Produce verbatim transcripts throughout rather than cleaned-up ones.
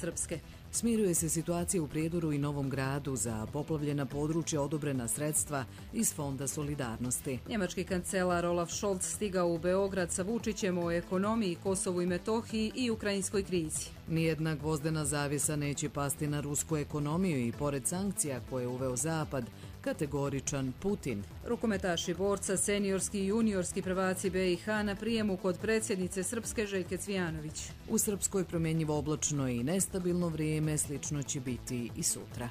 Srpske. Smiruje se situacija u Prijedoru i Novom Gradu, za poplavljena područja odobrena sredstva iz Fonda solidarnosti. Njemački kancelar Olaf Scholz stigao u Beograd sa Vučićem o ekonomiji, Kosovu i Metohiji i ukrajinskoj krizi. Nijedna gvozdena zavjesa neće pasti na rusku ekonomiju i pored sankcija koje je uveo Zapad, kategoričan Putin. Rukometaši borca, seniorski i juniorski prvaci B i H na prijemu kod predsjednice Srpske Željke Cvijanović. U Srpskoj promjenjivo oblačno i nestabilno vrijeme, slično će biti i sutra.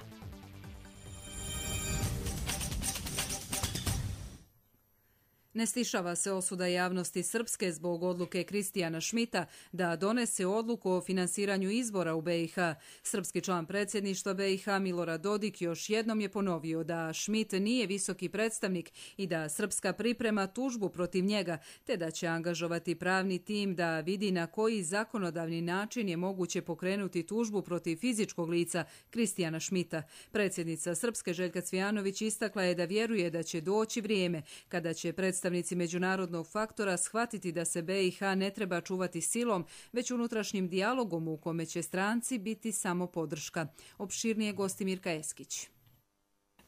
Ne stišava se osuda javnosti Srpske zbog odluke Kristijana Šmita da donese odluku o finansiranju izbora u B i H. Srpski član predsjedništva B i H Milorad Dodik još jednom je ponovio da Šmit nije visoki predstavnik i da Srpska priprema tužbu protiv njega, te da će angažovati pravni tim da vidi na koji zakonodavni način je moguće pokrenuti tužbu protiv fizičkog lica Kristijana Šmita. Predsjednica Srpske Željka Cvijanović istakla je da vjeruje da će doći vrijeme kada će predstavnici Predstavnici međunarodnog faktora shvatiti da se B i H ne treba čuvati silom, već unutrašnjim dijalogom u kome će stranci biti samo podrška. Opširnije gosti Mirka Eskić.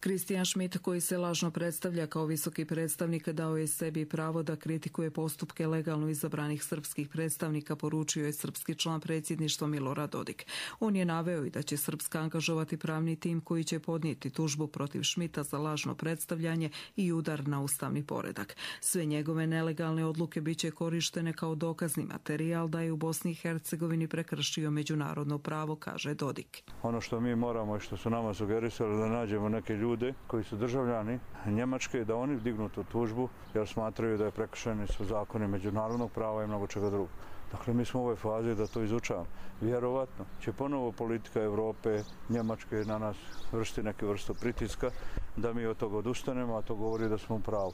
Kristijan Šmit, koji se lažno predstavlja kao visoki predstavnik, dao je sebi pravo da kritikuje postupke legalno izabranih srpskih predstavnika, poručio je srpski član predsjedništva Milorad Dodik. On je naveo i da će Srpska angažovati pravni tim koji će podnijeti tužbu protiv Šmita za lažno predstavljanje i udar na ustavni poredak. Sve njegove nelegalne odluke biće korištene kao dokazni materijal da je u Bosni i Hercegovini prekršio međunarodno pravo, kaže Dodik. Ono što mi moramo i što su nama sugerisali da nađemo neke ljude ljude koji su državljani Njemačke, da oni dignu tu tužbu jer smatraju da je prekršeni su zakoni međunarodnog prava i mnogo čega drugog. Dakle, mi smo u ovoj fazi da to izučavamo. Vjerovatno će ponovo politika Evrope, Njemačke na nas vršiti neke vrstu pritiska da mi od toga odustanemo, a to govori da smo u pravu.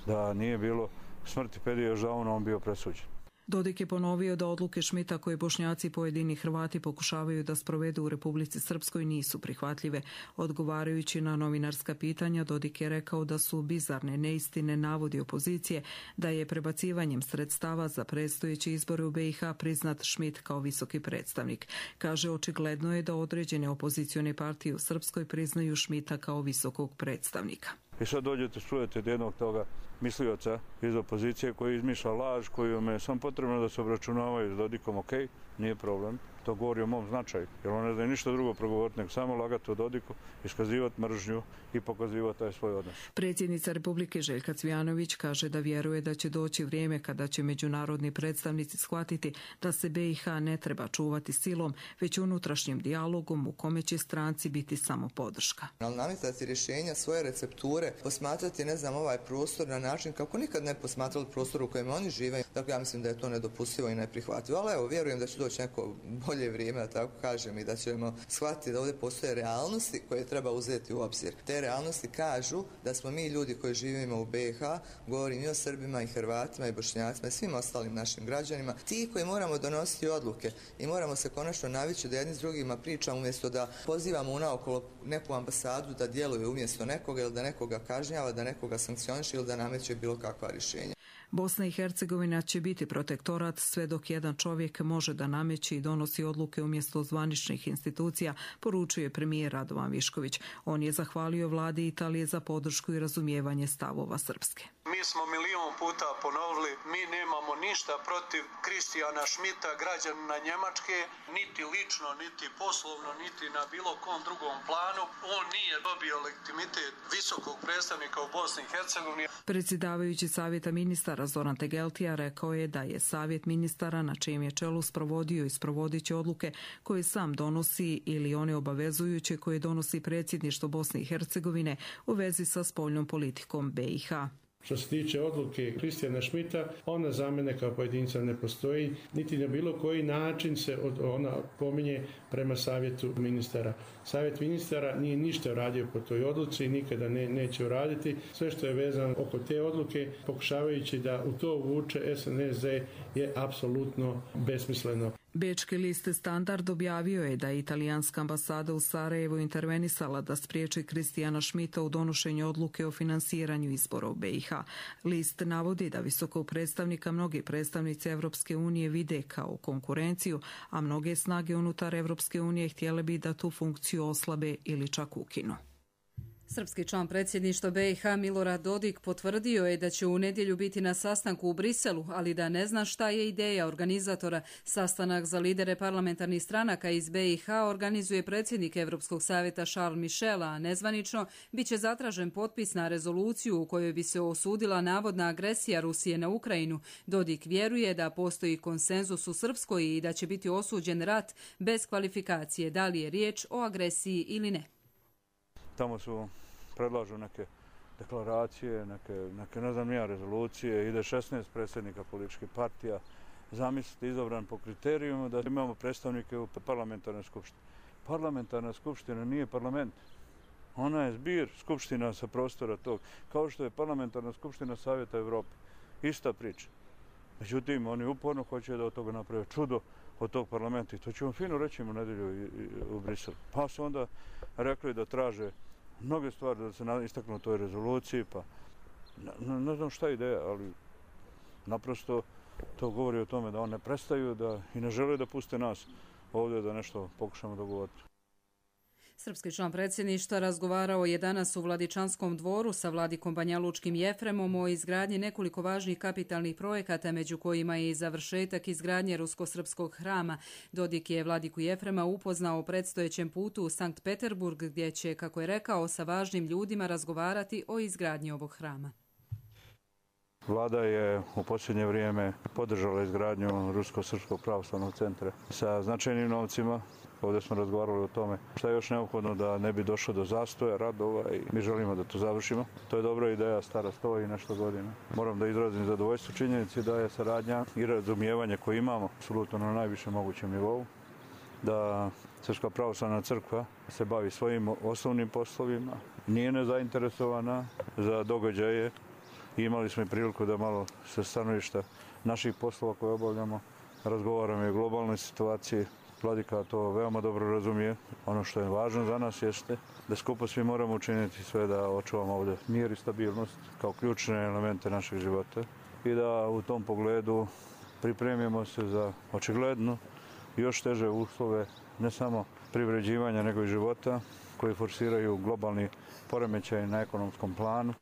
Da nije bilo smrti Pedija Žauna, on bio presuđen. Dodik je ponovio da odluke Šmita koje Bošnjaci i pojedini Hrvati pokušavaju da sprovedu u Republici Srpskoj nisu prihvatljive. Odgovarajući na novinarska pitanja, Dodik je rekao da su bizarne neistine navodi opozicije da je prebacivanjem sredstava za predstojeće izbore u B i H priznat Šmit kao visoki predstavnik. Kaže, očigledno je da određene opozicione partije u Srpskoj priznaju Šmita kao visokog predstavnika. I sad dođete, čujete jednog toga mislioca iz opozicije koji izmišlja laž, koju je samo potrebno da se obračunavaju s Dodikom, ok, nije problem. To govori o mom značaju, jer on ne zna ništa drugo progovoriti, nego samo lagati o Dodiku, iskazivati mržnju i pokazivati taj svoj odnos. Predsjednica Republike Željka Cvijanović kaže da vjeruje da će doći vrijeme kada će međunarodni predstavnici shvatiti da se B i H ne treba čuvati silom, već unutrašnjim dijalogom u kome će stranci biti samo podrška. Ali nametati rješenja, svoje recepture, posmatrati, ne znam, ovaj prostor na način kako nikad ne posmatrali prostor u kojem oni žive. Dakle, ja mislim da je to nedopustivo i neprihvatljivo. Ali evo, vjerujem da će doći neko bolje vrijeme, da tako kažem, i da ćemo shvatiti da ovdje postoje realnosti koje treba uzeti u obzir. Te realnosti kažu da smo mi ljudi koji živimo u B i H, govorim i o Srbima i Hrvatima i Bošnjacima i svim ostalim našim građanima, ti koji moramo donositi odluke i moramo se konačno navići da jedni s drugima pričamo umjesto da pozivamo unaokolo neku ambasadu da djeluje umjesto nekoga ili da nekoga kažnjava, da nekoga sankcioniše ili da nameće bilo kakva rješenja. Bosna i Hercegovina će biti protektorat sve dok jedan čovjek može da nameće i donosi odluke umjesto zvaničnih institucija, poručuje premijer Radovan Višković. On je zahvalio vladi Italije za podršku i razumijevanje stavova Srpske. Mi smo milion puta ponovili, mi nemamo ništa protiv Kristijana Šmita, građanina Njemačke, niti lično, niti poslovno, niti na bilo kom drugom planu. On nije dobio legitimitet visokog predstavnika u Bosni i Hercegovini. Predsjedavajući savjeta ministara Zoran Tegeltija rekao je da je savjet ministara na čijem je čelu sprovodio i sprovodit će odluke koje sam donosi ili one obavezujuće koje donosi predsjedništvo Bosne i Hercegovine u vezi sa spoljnom politikom B i H. Što se tiče odluke Kristijana Šmita, ona za mene kao pojedinca ne postoji, niti na bilo koji način se od, ona pominje prema savjetu ministara. Savjet ministara nije ništa uradio po toj odluci, nikada ne, neće uraditi. Sve što je vezano oko te odluke, pokušavajući da u to uvuče S N S D, je apsolutno besmisleno. Bečki list Standard objavio je da je italijanska ambasada u Sarajevu intervenisala da spriječi Kristijana Šmita u donošenju odluke o finansiranju izbora u B i H. List navodi da visokog predstavnika mnogi predstavnici Evropske unije vide kao konkurenciju, a mnoge snage unutar Evropske unije htjele bi da tu funkciju oslabe ili čak ukinu. Srpski član predsjedništva B i H Milorad Dodik potvrdio je da će u nedjelju biti na sastanku u Briselu, ali da ne zna šta je ideja organizatora. Sastanak za lidere parlamentarnih stranaka iz B i H organizuje predsjednik Europskog savjeta Charles Michel, a nezvanično bit će zatražen potpis na rezoluciju u kojoj bi se osudila navodna agresija Rusije na Ukrajinu. Dodik vjeruje da postoji konsenzus u Srpskoj i da će biti osuđen rat bez kvalifikacije, da li je riječ o agresiji ili ne. Tamo su predlažu neke deklaracije, neke, neke ne znam nija rezolucije, ide šesnaest predsjednika političkih partija, zamislite izabran po kriterijima da imamo predstavnike u parlamentarnoj skupštini. Parlamentarna skupština nije parlament, ona je zbir skupština sa prostora tog, kao što je parlamentarna skupština Savjeta Evrope. Ista priča. Međutim, oni uporno hoće da od toga naprave čudo od tog parlamenta i to ćemo fino reći u nedjelju u Briselu. Pa su onda rekli da traže mnoge stvari da se istaknu u toj rezoluciji, pa ne, ne znam šta je ideja, ali naprosto to govori o tome da oni ne prestaju da, i ne žele da puste nas ovdje da nešto pokušamo dogovoriti. Srpski član predsjedništva razgovarao je danas u Vladičanskom dvoru sa vladikom Banjalučkim Jefremom o izgradnji nekoliko važnih kapitalnih projekata, među kojima je i završetak izgradnje rusko-srpskog hrama. Dodik je vladiku Jefrema upoznao o predstojećem putu u Sankt Peterburg, gdje će, kako je rekao, sa važnim ljudima razgovarati o izgradnji ovog hrama. Vlada je u posljednje vrijeme podržala izgradnju Rusko-srpskog pravoslavnog centra sa značajnim novcima. Ovdje smo razgovarali o tome šta je još neophodno da ne bi došlo do zastoja radova i mi želimo da to završimo. To je dobra ideja, stara sto i nešto godina. Moram da izrazim zadovoljstvo činjenici da je saradnja i razumijevanje koje imamo apsolutno na najvišem mogućem nivou. Da Srpska pravoslavna crkva se bavi svojim osnovnim poslovima, nije nezainteresovana za događaje. Imali smo i priliku da malo sa stanovišta naših poslova koje obavljamo razgovaramo i o globalnoj situaciji. Vladika to veoma dobro razumije. Ono što je važno za nas jeste da skupo svi moramo učiniti sve da očuvamo ovdje mir i stabilnost kao ključne elemente našeg života i da u tom pogledu pripremimo se za očigledno još teže uslove ne samo privređivanja nego i života koji forsiraju globalni poremećaj na ekonomskom planu.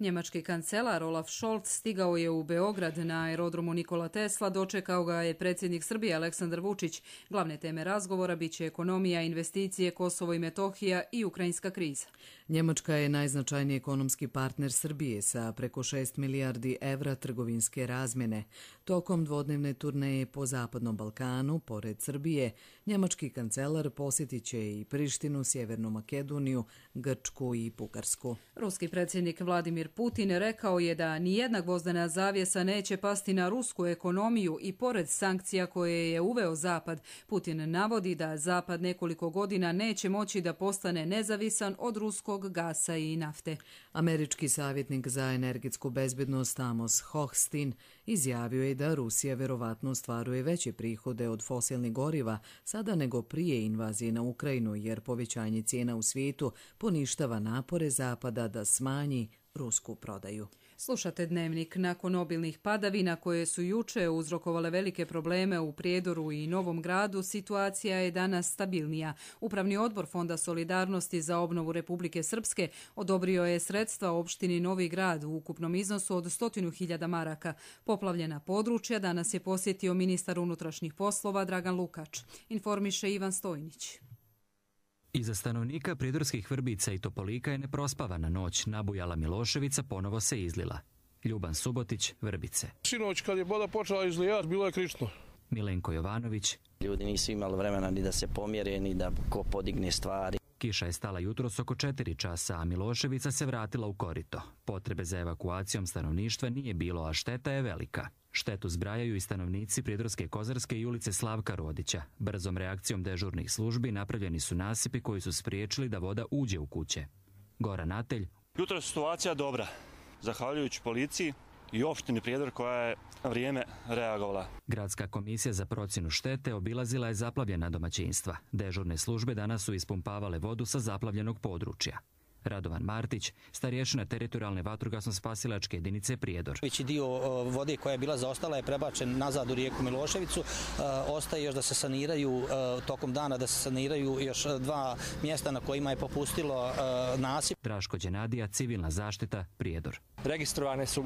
Njemački kancelar Olaf Scholz stigao je u Beograd na aerodromu Nikola Tesla, dočekao ga je predsjednik Srbije Aleksandar Vučić. Glavne teme razgovora biće ekonomija, investicije, Kosovo i Metohija i ukrajinska kriza. Njemačka je najznačajniji ekonomski partner Srbije sa preko šest milijardi evra trgovinske razmjene. Tokom dvodnevne turneje po Zapadnom Balkanu, pored Srbije, njemački kancelar posjetit će i Prištinu, Sjevernu Makedoniju, Grčku i Bugarsku. Ruski predsjednik Vladimir Putin rekao je da nijedna gvozdena zavjesa neće pasti na rusku ekonomiju i pored sankcija koje je uveo Zapad. Putin navodi da Zapad nekoliko godina neće moći da postane nezavisan od ruskog gasa i nafte. Američki savjetnik za energetsku bezbednost Amos Hochstein izjavio je da Rusija verovatno ostvaruje veće prihode od fosilnih goriva sada nego prije invazije na Ukrajinu, jer povećanje cijena u svijetu poništava napore Zapada da smanji rusku prodaju. Slušate Dnevnik. Nakon obilnih padavina koje su juče uzrokovale velike probleme u Prijedoru i Novom Gradu, situacija je danas stabilnija. Upravni odbor Fonda solidarnosti za obnovu Republike Srpske odobrio je sredstva opštini Novi Grad u ukupnom iznosu od stotinu hiljada maraka. Poplavljena područja danas je posjetio ministar unutrašnjih poslova Dragan Lukač. Informiše Ivan Stojnić. Iza stanovnika Pridorskih Vrbica i Topolika je neprospavana noć. Nabujala Miloševica ponovo se izlila. Ljuban Subotić, Vrbice. Sinoć kad je voda počela izlijati, bilo je krično. Milenko Jovanović. Ljudi nisu imali vremena ni da se pomjere, ni da ko podigne stvari. Kiša je stala jutros oko četiri časa, a Miloševica se vratila u korito. Potrebe za evakuacijom stanovništva nije bilo, a šteta je velika. Štetu zbrajaju i stanovnici Pridorske Kozarske i ulice Slavka Rodića. Brzom reakcijom dežurnih službi napravljeni su nasipi koji su spriječili da voda uđe u kuće. Goran Atelj. Jutro je situacija dobra. Zahvaljujući policiji i opštini Prijedor koja je vrijeme reagovala. Gradska komisija za procjenu štete obilazila je zaplavljena domaćinstva. Dežurne službe danas su ispumpavale vodu sa zaplavljenog područja. Radovan Martić, starješina teritorijalne vatrogasno-spasilačke jedinice Prijedor. Veći dio vode koja je bila zaostala je prebačen nazad u rijeku Miloševicu. Ostaje još da se saniraju tokom dana, da se saniraju još dva mjesta na kojima je popustilo nasip. Draško Đenadija, civilna zaštita, Prijedor. Registrovane su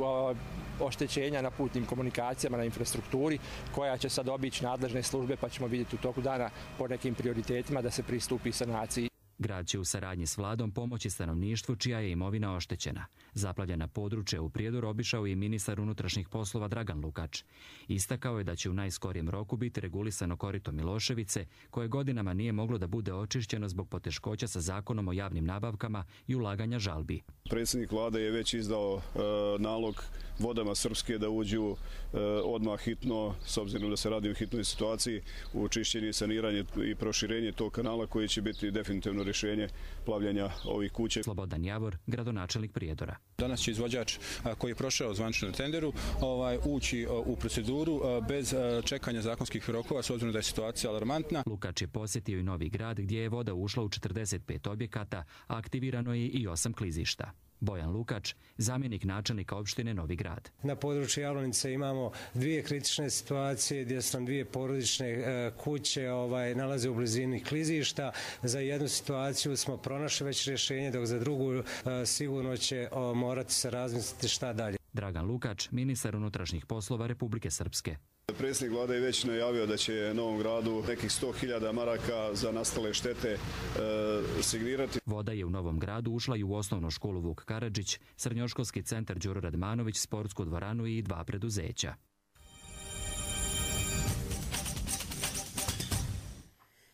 oštećenja na putnim komunikacijama, na infrastrukturi, koja će sad obići nadležne službe, pa ćemo vidjeti u toku dana po nekim prioritetima da se pristupi sanaciji. Grad će u saradnji s vladom pomoći stanovništvu čija je imovina oštećena. Zaplavljena područja u Prijedoru obišao i ministar unutrašnjih poslova Dragan Lukač. Istakao je da će u najskorijem roku biti regulisano korito Miloševice, koje godinama nije moglo da bude očišćeno zbog poteškoća sa zakonom o javnim nabavkama i ulaganja žalbi. Predsjednik vlade je već izdao e, nalog vodama Srpske da uđu e, odmah hitno, s obzirom da se radi o hitnoj situaciji, u čišćenje, saniranje i proširenje tog kanala koji će biti definitivno rješenje plavljenja ovih kuće. Slobodan Javor, gradonačelnik Prijedora. Danas će izvođač koji je prošao zvanično na tenderu ovaj, ući u proceduru bez čekanja zakonskih rokova, s obzirom da je situacija alarmantna. Lukač je posjetio i Novi Grad gdje je voda ušla u četrdeset pet objekata, a aktivirano je i osam klizišta. Bojan Lukač, zamjenik načelnika opštine Novi Grad. Na području Javlonice imamo dvije kritične situacije gdje su nam dvije porodične e, kuće ovaj, nalaze u blizini klizišta. Za jednu situaciju smo pronašli već rješenje, dok za drugu e, sigurno će o, morati se razmisliti šta dalje. Dragan Lukač, ministar unutrašnjih poslova Republike Srpske. Predsjednik vlade je već najavio da će Novom Gradu nekih sto hiljada maraka za nastale štete e, signirati. Voda je u Novom Gradu ušla i u osnovnu školu Vuk Karadžić, srednjoškolski centar Đuro Radmanović, sportsku dvoranu i dva preduzeća.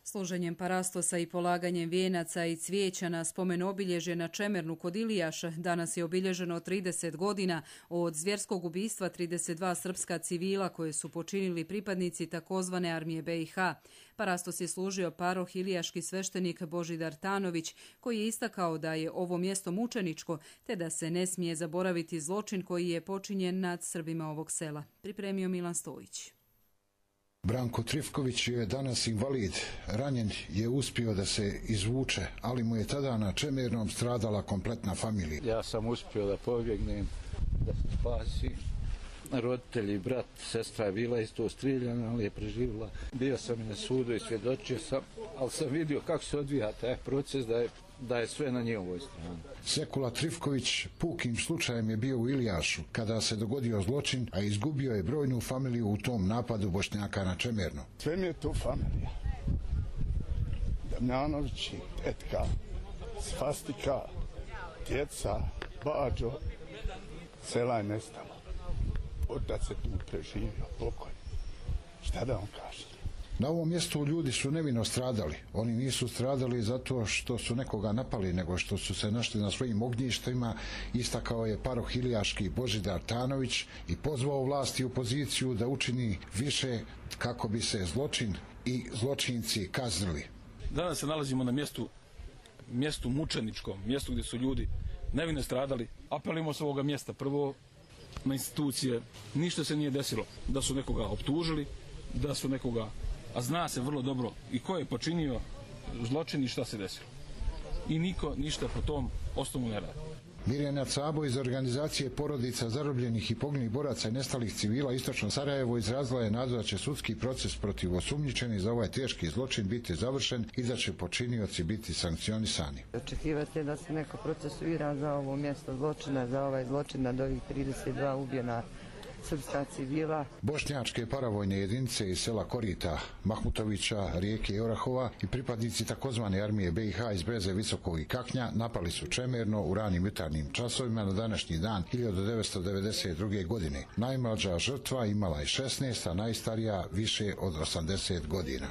Služenjem parastosa i polaganjem vijenaca i cvijeća na spomen obilježje na Čemernu kod Ilijaša danas je obilježeno trideset godina od zvjerskog ubistva trideset dva srpska civila koje su počinili pripadnici takozvane armije B i H. Parastos je služio paroh ilijaški sveštenik Božidar Tanović, koji je istakao da je ovo mjesto mučeničko te da se ne smije zaboraviti zločin koji je počinjen nad Srbima ovog sela. Pripremio Milan Stojić. Branko Trifković je danas invalid. Ranjen je uspio da se izvuče, ali mu je tada na Čemernom stradala kompletna familija. Ja sam uspio da pobjegnem, da se spasi. Roditelji, brat, sestra je bila isto strijeljena, ali je preživjela. Bio sam i na sudu i svjedočio sam, ali sam vidio kako se odvija taj proces, da je, da je sve na njihovoj strani. Sekula Trifković pukim slučajem je bio u Ilijašu kada se dogodio zločin, a izgubio je brojnu familiju u tom napadu Bošnjaka na Čemerno. Sve mi je tu familija. Damjanovići, tetka, svastika, djeca, bađo, sela je nestalo. Otac se tu preživio, pokoj. Šta da vam kažem? Na ovom mjestu ljudi su nevino stradali. Oni nisu stradali zato što su nekoga napali, nego što su se našli na svojim ognjištima, istakao je paroh ilijaški Božidar Tanović i pozvao vlasti u poziciju da učini više kako bi se zločin i zločinci kaznili. Danas se nalazimo na mjestu, mjestu mučeničkom, mjestu gdje su ljudi nevino stradali. Apelimo s ovoga mjesta prvo na institucije, ništa se nije desilo, da su nekoga optužili, da su nekoga, a zna se vrlo dobro i ko je počinio zločin i šta se desilo. I niko ništa po tom osnovu ne radi. Mirjana Cabo iz organizacije porodica zarobljenih i poginulih boraca i nestalih civila Istočno Sarajevo izrazila je nadu da će sudski proces protiv osumnjičenih za ovaj teški zločin biti završen i da će počinioci biti sankcionisani. Očekivati da se neko procesuira za ovo mjesto zločina, za ovaj zločin nad ovih trideset dva ubijena srpska civila. Bošnjačke paravojne jedinice iz sela Korita, Mahmutovića, Rijeke Orahova i pripadnici takozvane armije B i H iz Breze, Visokog i Kaknja napali su Čemerno u ranim jutarnjim časovima na današnji dan hiljadu devetsto devedeset druge. godine. Najmlađa žrtva imala je šesnaest, a najstarija više od osamdeset godina.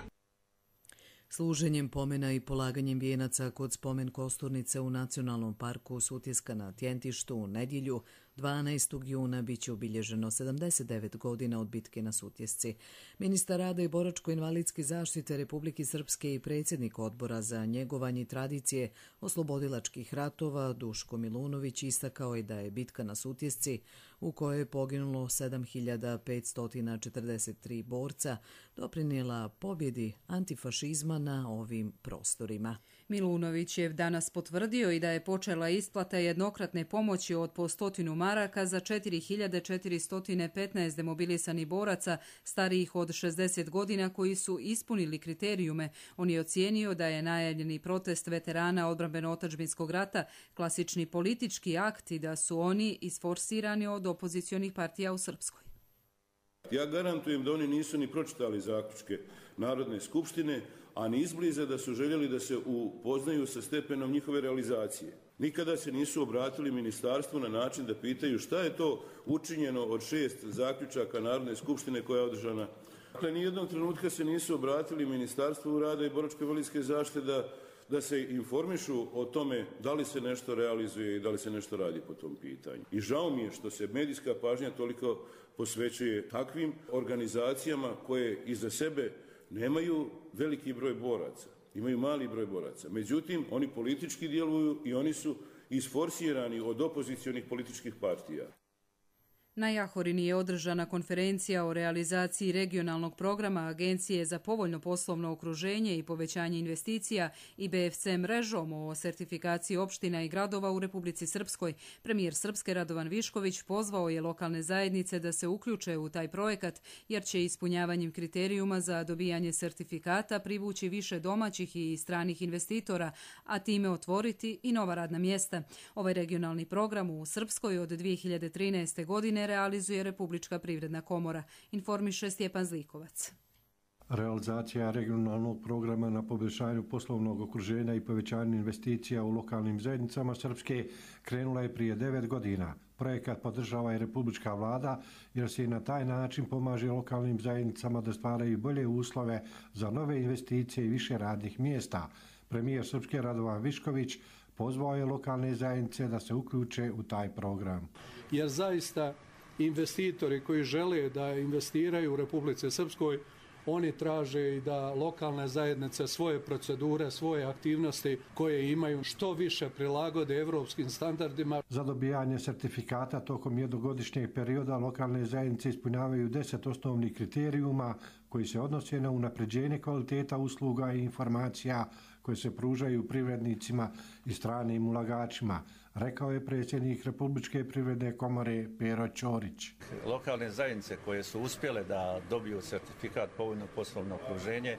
Služenjem pomena i polaganjem vijenaca kod spomen kosturnice u Nacionalnom parku Sutjeska na Tjentištu u nedjelju dvanaestog juna biće obilježeno sedamdeset devet godina od bitke na Sutjesci. Ministar rada i boračko-invalidske zaštite Republike Srpske i predsjednik odbora za njegovanje tradicije oslobodilačkih ratova Duško Milunović istakao je da je bitka na Sutjesci u kojoj je poginulo sedam hiljada petsto četrdeset tri borca, doprinijela pobjedi antifašizma na ovim prostorima. Milunović je danas potvrdio i da je počela isplata jednokratne pomoći od po stotinu maraka za četiri hiljade četiristo petnaest demobilisanih boraca starijih od šezdeset godina koji su ispunili kriterijume. On je ocijenio da je najavljeni protest veterana odbrambeno-otadžbinskog rata klasični politički akt i da su oni isforsirani od opozicionih partija u Srpskoj. Ja garantujem da oni nisu ni pročitali zaključke Narodne skupštine, a ni izbliza da su željeli da se upoznaju sa stepenom njihove realizacije. Nikada se nisu obratili ministarstvu na način da pitaju šta je to učinjeno od šest zaključaka Narodne skupštine koja je održana. Dakle, nijednog trenutka se nisu obratili Ministarstvu rada i boračko-invalidske zaštite da, da se informišu o tome da li se nešto realizuje i da li se nešto radi po tom pitanju. I žao mi je što se medijska pažnja toliko posvećuje takvim organizacijama koje iza sebe nemaju veliki broj boraca, imaju mali broj boraca. Međutim, oni politički djeluju i oni su isforsirani od opozicionih političkih partija. Na Jahorini je održana konferencija o realizaciji regionalnog programa Agencije za povoljno poslovno okruženje i povećanje investicija i B F C mrežom o sertifikaciji opština i gradova u Republici Srpskoj. Premijer Srpske Radovan Višković pozvao je lokalne zajednice da se uključe u taj projekat, jer će ispunjavanjem kriterijuma za dobijanje sertifikata privući više domaćih i stranih investitora, a time otvoriti i nova radna mjesta. Ovaj regionalni program u Srpskoj od dvije hiljade trinaeste. godine realizuje Republička privredna komora, informiše Stjepan Zlikovac. Realizacija regionalnog programa na poboljšanju poslovnog okruženja i povećanju investicija u lokalnim zajednicama Srpske krenula je prije devet godina. Projekat podržava i Republička vlada jer se i na taj način pomaže lokalnim zajednicama da stvaraju bolje uslove za nove investicije i više radnih mjesta. Premijer Srpske Radovan Višković pozvao je lokalne zajednice da se uključe u taj program. Jer zaista investitori koji žele da investiraju u Republici Srpskoj, oni traže i da lokalne zajednice svoje procedure, svoje aktivnosti koje imaju što više prilagode evropskim standardima. Za dobijanje sertifikata tokom jednogodišnjeg perioda lokalne zajednice ispunjavaju deset osnovnih kriterijuma koji se odnose na unapređenje kvaliteta usluga i informacija koje se pružaju privrednicima i stranim ulagačima, rekao je predsjednik Republičke privredne komore Pero Ćorić. Lokalne zajednice koje su uspjele da dobiju sertifikat povoljno poslovno okruženje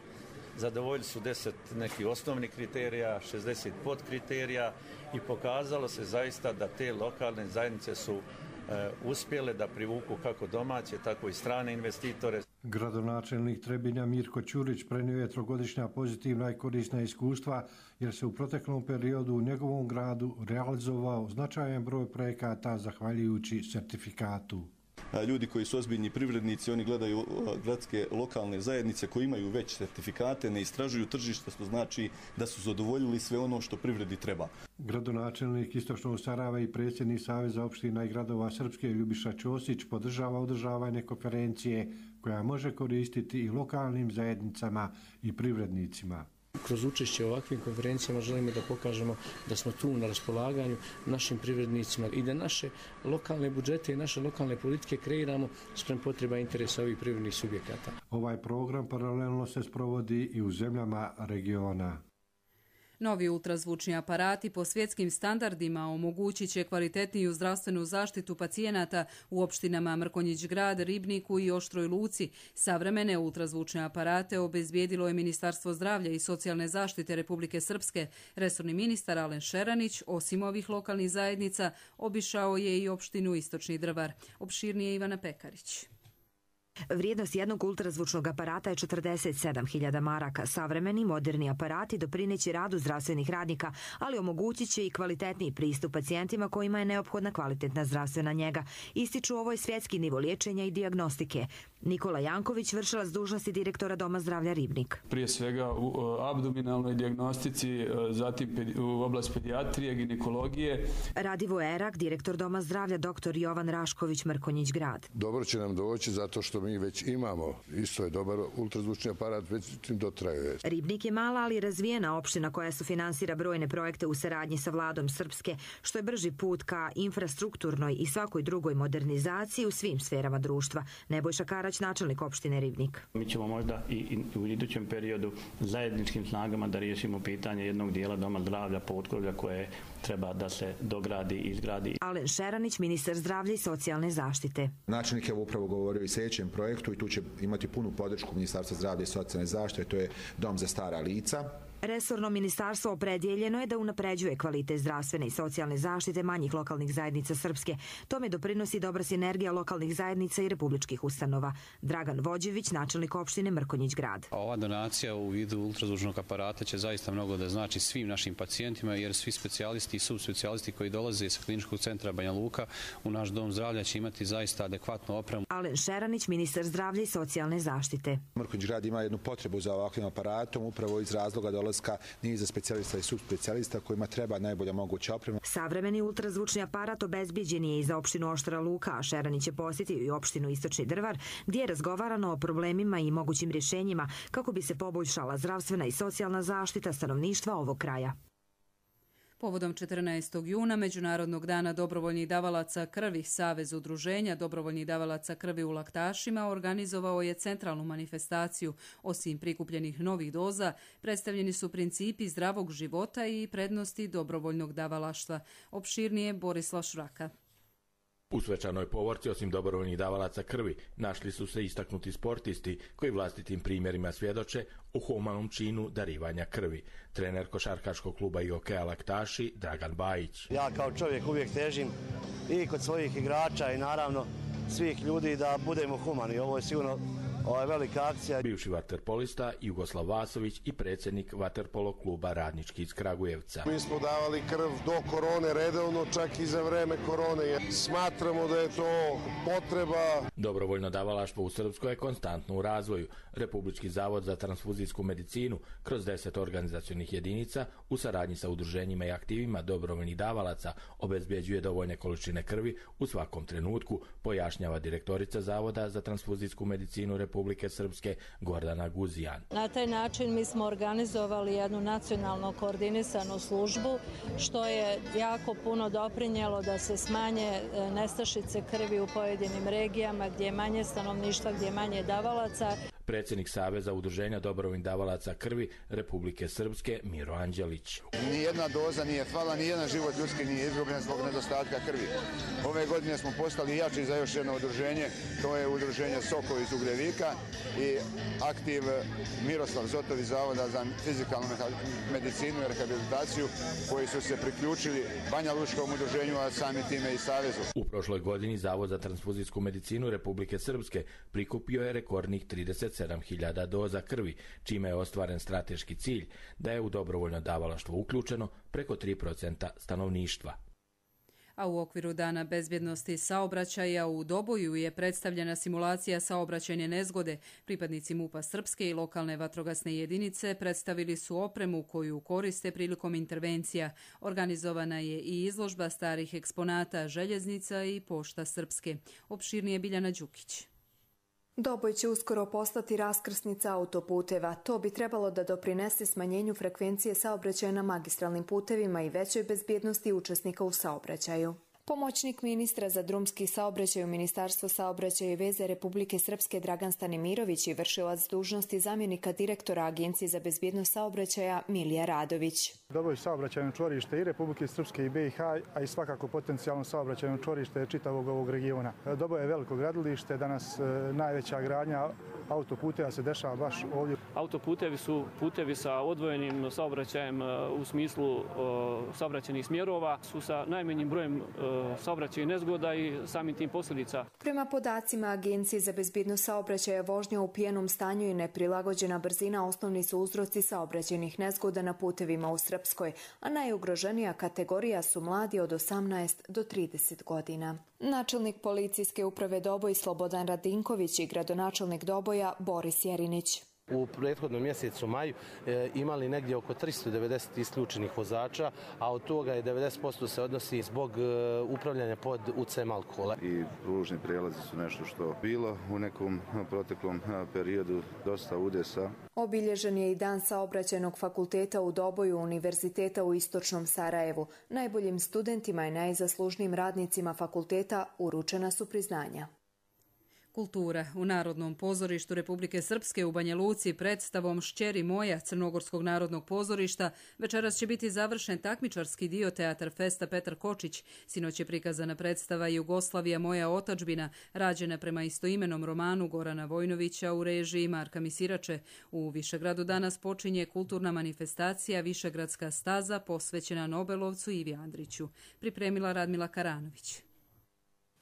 zadovoljili su deset nekih osnovnih kriterija, šezdeset podkriterija i pokazalo se zaista da te lokalne zajednice su e, uspjele da privuku kako domaće, tako i strane investitore. Gradonačelnik Trebinja Mirko Ćurić prenio je trogodišnja pozitivna i korisna iskustva jer se u proteklom periodu u njegovom gradu realizovao značajan broj projekata zahvaljujući sertifikatu. Ljudi koji su ozbiljni privrednici, oni gledaju gradske lokalne zajednice koji imaju već sertifikate, ne istražuju tržište, što znači da su zadovoljili sve ono što privredi treba. Gradonačelnik Istočnog Sarajeva i predsjednik Saveza opština i gradova Srpske Ljubiša Ćosić podržava održavanje konferencije koja može koristiti i lokalnim zajednicama i privrednicima. Kroz učešće u ovakvim konferencijama želimo da pokažemo da smo tu na raspolaganju našim privrednicima i da naše lokalne budžete i naše lokalne politike kreiramo sprem potreba interesa ovih privrednih subjekata. Ovaj program paralelno se sprovodi i u zemljama regiona. Novi ultrazvučni aparati po svjetskim standardima omogućit će kvalitetniju zdravstvenu zaštitu pacijenata u opštinama Mrkonjić Grad, Ribniku i Oštroj Luci. Savremene ultrazvučne aparate obezbijedilo je Ministarstvo zdravlja i socijalne zaštite Republike Srpske. Resorni ministar Alen Šeranić, osim ovih lokalnih zajednica, obišao je i opštinu Istočni Drvar. Opširnije Ivana Pekarić. Vrijednost jednog ultrazvučnog aparata je četrdeset sedam hiljada maraka. Savremeni, moderni aparati doprineće radu zdravstvenih radnika, ali omogućit će i kvalitetniji pristup pacijentima kojima je neophodna kvalitetna zdravstvena njega. Ističu ovo je svjetski nivo liječenja i dijagnostike. Nikola Janković, vršilac dužnosti direktora Doma zdravlja Ribnik. Prije svega u abdominalnoj dijagnostici, zatim u oblast pedijatrije, ginekologije. Radivo Erak, direktor Doma zdravlja, doktor Jovan Rašković, Mrkonjić Grad. Dobro će nam doći zato što mi mi već imamo. Isto je dobar ultrazvučni aparat, već dotrajuje. Ribnik je mala, ali razvijena opština koja sufinansira brojne projekte u saradnji sa vladom Srpske, što je brži put ka infrastrukturnoj i svakoj drugoj modernizaciji u svim sferama društva. Nebojša Karać, načelnik opštine Ribnik. Mi ćemo možda i, i u idućem periodu zajedničkim snagama da riješimo pitanje jednog dijela doma zdravlja Potkovlja koje treba da se dogradi i izgradi. Alen Šeranić, ministar zdravlja i socijalne zaštite. Načelnik je upravo govorio i sljedećem projektu i tu će imati punu podršku Ministarstva zdravlja i socijalne zaštite, to je dom za stara lica. Resorno ministarstvo opredjeljeno je da unapređuje kvalitet zdravstvene i socijalne zaštite manjih lokalnih zajednica Srpske. Tome doprinosi dobra sinergija lokalnih zajednica i republičkih ustanova. Dragan Vođević, načelnik opštine Mrkonjić grad. Ova donacija u vidu ultrazvučnog aparata će zaista mnogo da znači svim našim pacijentima, jer svi specijalisti i subspecijalisti koji dolaze sa kliničkog centra Banja Luka u naš dom zdravlja će imati zaista adekvatnu opremu. Alen Šeranić, ministar zdravlja i socijalne zaštite. Mrkonjić grad ima jednu potrebu za ovakvim aparatom, upravo iz razloga dolaska niza specijalista i subspecijalista kojima treba najbolja moguća oprema. Savremeni ultrazvučni aparat obezbijeđen je i za opštinu Oštara Luka, a Šeranić je posjetio i opštinu Istočni Drvar, gdje je razgovarano o problemima i mogućim rješenjima kako bi se poboljšala zdravstvena i socijalna zaštita stanovništva ovog kraja. Povodom četrnaestog juna, Međunarodnog dana dobrovoljnih davalaca krvi, Savez udruženja dobrovoljnih davalaca krvi u Laktašima organizovao je centralnu manifestaciju. Osim prikupljenih novih doza, predstavljeni su principi zdravog života i prednosti dobrovoljnog davalaštva. Opširnije Borislav Šraka. U svečanoj povorci, osim dobrovoljnih davalaca krvi, našli su se istaknuti sportisti koji vlastitim primjerima svjedoče o humanom činu darivanja krvi. Trener košarkaškog kluba i hokeja Laktaši Dragan Bajić. Ja kao čovjek uvijek težim i kod svojih igrača i naravno svih ljudi da budemo humani. Ovo je sigurno Ovo je velika akcija. Bivši vaterpolista Jugoslav Vasović i predsjednik vaterpolo kluba Radnički iz Kragujevca. Mi smo davali krv do korone redovno, čak i za vreme korone. Smatramo da je to potreba. Dobrovoljno davalaštvo u Srpskoj je konstantno u razvoju. Republički zavod za transfuzijsku medicinu kroz deset organizacionih jedinica u saradnji sa udruženjima i aktivima dobrovoljnih davalaca obezbjeđuje dovoljne količine krvi u svakom trenutku, pojašnjava direktorica Zavoda za transfuzijsku medicinu Republike Srpske Gordana Guzijan. Na taj način mi smo organizovali jednu nacionalno koordinisanu službu, što je jako puno doprinjelo da se smanje nestašice krvi u pojedinim regijama gdje je manje stanovništva, gdje je manje davalaca. Predsjednik Saveza udruženja dobrovoljnih davalaca krvi Republike Srpske Miro Anđelić. Nijedna doza nije fala, nijedan život ljudski nije izgubljen zbog nedostatka krvi. Ove godine smo postali jači za još jedno udruženje, to je udruženje Sokovi iz Ugljevika i aktiv Miroslav Zotovi Zavoda za fizikalnu medicinu i rehabilitaciju, koji su se priključili Banja Lučkom udruženju, a sami time i Savezu. U prošloj godini Zavod za transfuzijsku medicinu Republike Srpske prikupio je rekordnih trideset sedam hiljada doza krvi, čime je ostvaren strateški cilj da je u dobrovoljno davalaštvo uključeno preko tri posto stanovništva. A u okviru Dana bezbjednosti saobraćaja u Doboju je predstavljena simulacija saobraćajne nezgode. Pripadnici MUP-a Srpske i lokalne vatrogasne jedinice predstavili su opremu koju koriste prilikom intervencija. Organizovana je i izložba starih eksponata željeznica i pošta Srpske. Opširnije Biljana Đukić. Doboj će uskoro postati raskrsnica autoputeva. To bi trebalo da doprinese smanjenju frekvencije saobraćaja na magistralnim putevima i većoj bezbjednosti učesnika u saobraćaju. Pomoćnik ministra za drumski saobraćaj u Ministarstvu saobraćaja i veze Republike Srpske Dragan Stanimirović i vršilac dužnosti zamjenika direktora Agencije za bezbjednost saobraćaja Milija Radović. Doboj saobraćajno čvorište i Republike Srpske i B i H, a i svakako potencijalno saobraćajno čvorište čitavog ovog regiona. Doboj je veliko gradilište, danas najveća gradnja autoputeva se dešava baš ovdje. Autoputevi su putevi sa odvojenim saobraćajem u smislu saobraćajnih smjerova, su sa najmanjim brojem saobraćaj nezgoda i samim tim posljedica. Prema podacima Agencije za bezbjednost saobraćaja, vožnja u pijenom stanju i neprilagođena brzina osnovni su uzroci saobraćajnih nezgoda na putevima u Srpskoj, a najugroženija kategorija su mladi od osamnaest do trideset godina. Načelnik policijske uprave Doboj Slobodan Radinković i gradonačelnik Doboja Boris Jerinić. U prethodnom mjesecu maju e, imali negdje oko tristo devedeset isključenih vozača, a od toga je devedeset posto se odnosi zbog e, upravljanja pod utjecajem alkohola. I pružni prijelazi su nešto što bilo u nekom proteklom periodu dosta udesa. Obilježen je i dan Saobraćajnog fakulteta u Doboju Univerziteta u Istočnom Sarajevu. Najboljim studentima i najzaslužnijim radnicima fakulteta uručena su priznanja. Kultura. U Narodnom pozorištu Republike Srpske u Banja Luci predstavom Šćeri moja Crnogorskog narodnog pozorišta večeras će biti završen takmičarski dio Teatar festa Petar Kočić. Sinoć je prikazana predstava Jugoslavija moja otadžbina, rađena prema istoimenom romanu Gorana Vojnovića u režiji Marka Misirače. U Višegradu danas počinje kulturna manifestacija Višegradska staza posvećena Nobelovcu Ivi Andriću. Pripremila Radmila Karanović.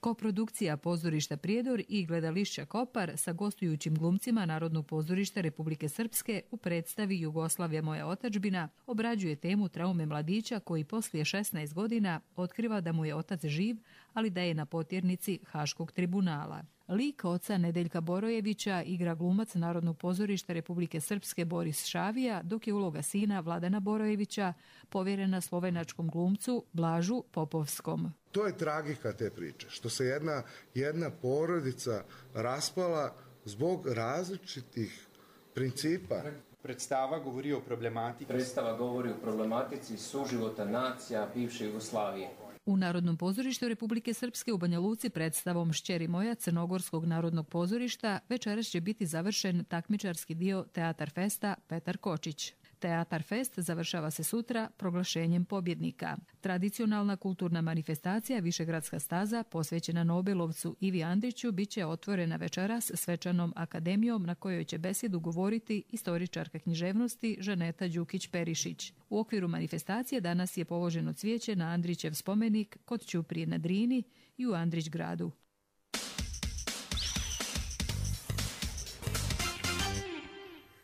Koprodukcija pozorišta Prijedor i gledališća Kopar sa gostujućim glumcima Narodnog pozorišta Republike Srpske u predstavi Jugoslavija moja otadžbina obrađuje temu traume mladića koji poslije šesnaest godina otkriva da mu je otac živ, ali da je na potjernici Haškog tribunala. Lik oca Nedeljka Borojevića igra glumac Narodnog pozorišta Republike Srpske Boris Šavija, dok je uloga sina Vladana Borojevića povjerena slovenačkom glumcu Blažu Popovskom. To je tragika te priče, što se jedna, jedna porodica raspala zbog različitih principa. Predstava govori o problematici. Predstava govori o problematici suživota nacija bivše Jugoslavije. U Narodnom pozorištu Republike Srpske u Banja Luci predstavom Šćeri moja Crnogorskog narodnog pozorišta večeras će biti završen takmičarski dio Teatar festa Petar Kočić. Teatar fest završava se sutra proglašenjem pobjednika. Tradicionalna kulturna manifestacija Višegradska staza posvećena Nobelovcu Ivi Andriću bit će otvorena večeras svečanom akademijom na kojoj će besedu govoriti istoričarka književnosti Žaneta Đukić-Perišić. U okviru manifestacije danas je položeno cvijeće na Andrićev spomenik kod Ćuprije na Drini i u Andrić gradu.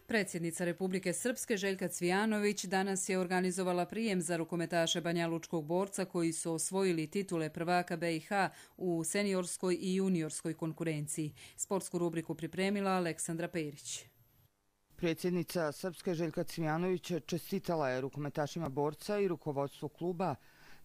Predsjednica Republike Srpske Željka Cvijanović danas je organizovala prijem za rukometaše banjalučkog borca koji su osvojili titule prvaka B i H u seniorskoj i juniorskoj konkurenciji. Sportsku rubriku pripremila Aleksandra Perić. Predsjednica Srpske Željka Cvijanović čestitala je rukometašima borca i rukovodstvu kluba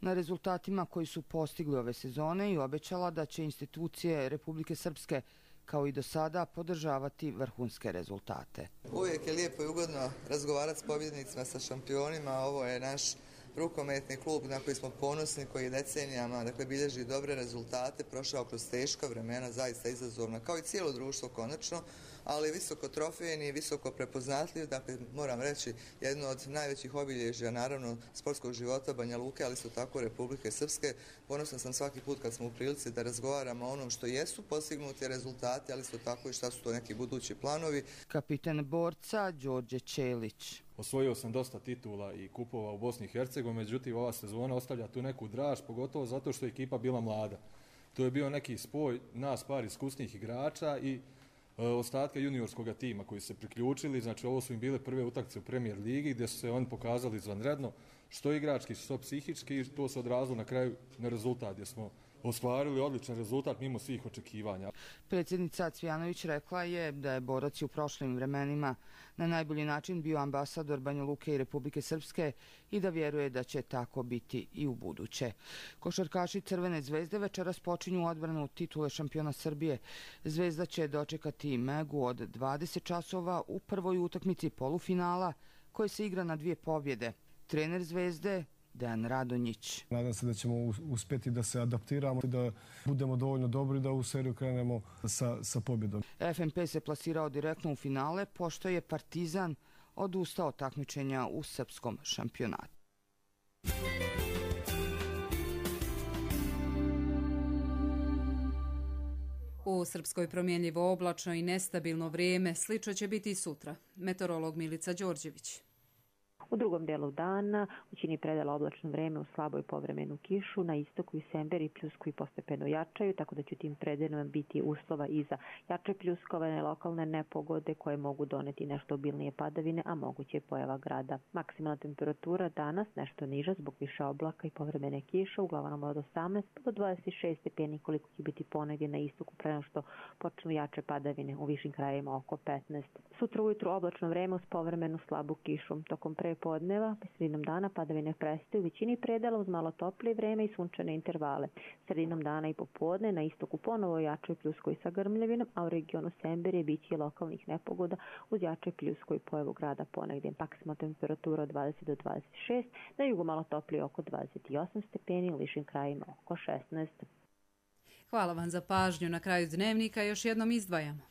na rezultatima koji su postigli ove sezone i obećala da će institucije Republike Srpske kao i do sada podržavati vrhunske rezultate. Uvijek je lijepo i ugodno razgovarati s pobjednicima, sa šampionima. Ovo je naš rukometni klub na koji smo ponosni, koji je decenijama dakle, bilježi dobre rezultate, prošao kroz teška vremena, zaista izazovna, kao i cijelo društvo konačno, ali visoko trofejni i visoko prepoznatljiv, dakle moram reći jedno od najvećih obilježja naravno sportskog života Banja Luke, ali isto tako Republike Srpske. Ponosna sam svaki put kad smo u prilici da razgovaramo o onom što jesu postignuti rezultati, ali isto tako i šta su to neki budući planovi. Kapitan borca Đorđe Čelić. Osvojio sam dosta titula i kupova u Bosni i Hercegovini, međutim ova sezona ostavlja tu neku draž, pogotovo zato što je ekipa bila mlada. To je bio neki spoj nas par iskusnih igrača i e, ostatka juniorskog tima koji su se priključili. Znači ovo su im bile prve utakmice u Premier ligi gdje su se oni pokazali izvanredno, što igrački, što psihički, i to se odrazilo na kraju na rezultat gdje smo ostvarili odličan rezultat mimo svih očekivanja. Predsjednica Cvijanović rekla je da je borac u prošlim vremenima na najbolji način bio ambasador Banja Luke i Republike Srpske i da vjeruje da će tako biti i u buduće. Košarkaši Crvene zvezde večeras počinju odbranu titule šampiona Srbije. Zvezda će dočekati Megu od dvadeset časova u prvoj utakmici polufinala koji se igra na dvije pobjede. Trener Zvezde Dejan Radonjić. Nadam se da ćemo uspjeti da se adaptiramo i da budemo dovoljno dobri da u seriju krenemo sa, sa pobjedom. F N P se plasirao direktno u finale pošto je Partizan odustao takmičenja u srpskom šampionatu. U Srpskoj promjenljivo oblačno i nestabilno vrijeme, slično će biti i sutra. Meteorolog Milica Đorđević. U drugom delu dana u većini predela oblačno vreme u slaboj povremenu kišu, na istoku i Semberi i pljusku i postepeno jačaju, tako da će tim predelima biti uslova i za jače pljuskovane lokalne nepogode koje mogu doneti nešto obilnije padavine, a moguće je pojava grada. Maksimalna temperatura danas nešto niža zbog više oblaka i povremene kiše, uglavnom od osamnaest do dvadeset šest stepeni, koliko će biti ponegdje na istoku pre nego što počnu jače padavine, u višim krajevima oko petnaest. Sutra ujutru oblačno vreme uz povremenu slabu kišu. Tokom prepodneva, sredinom dana padavine prestaju u većini predela uz malo toplije vreme i sunčane intervale. Sredinom dana i popodne na istoku ponovo jačoj pljuskoj sa grmljavinom, a u regionu Semberije biće lokalnih nepogoda uz jačoj pljuskoj i pojavu grada ponegdje. Maksimalna temperatura od dvadeset do dvadeset šest, na jugu malo toplije oko dvadeset osam stepeni, u višim krajima oko šesnaest. Hvala vam za pažnju. Na kraju dnevnika još jednom izdvajamo.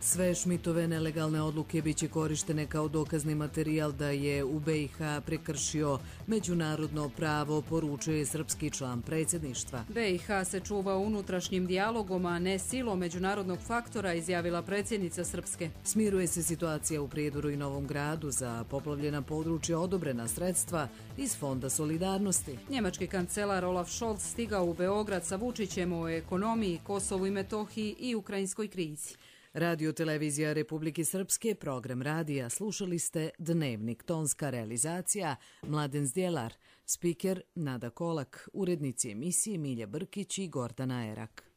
Sve Šmitove nelegalne odluke biće korištene kao dokazni materijal da je u B i H prekršio međunarodno pravo, poručuje srpski član predsjedništva. B i H se čuva unutrašnjim dijalogom, a ne silom međunarodnog faktora, izjavila predsjednica Srpske. Smiruje se situacija u Prijedoru i Novom Gradu, za poplavljena područja odobrena sredstva iz Fonda solidarnosti. Njemački kancelar Olaf Scholz stigao u Beograd sa Vučićem o ekonomiji, Kosovu i Metohiji i ukrajinskoj krizi. Radio televizija Republike Srpske, program radija, slušali ste Dnevnik, tonska realizacija Mladen Zdjelar, spiker Nada Kolak, urednici emisije Milja Brkić i Gordana Erak.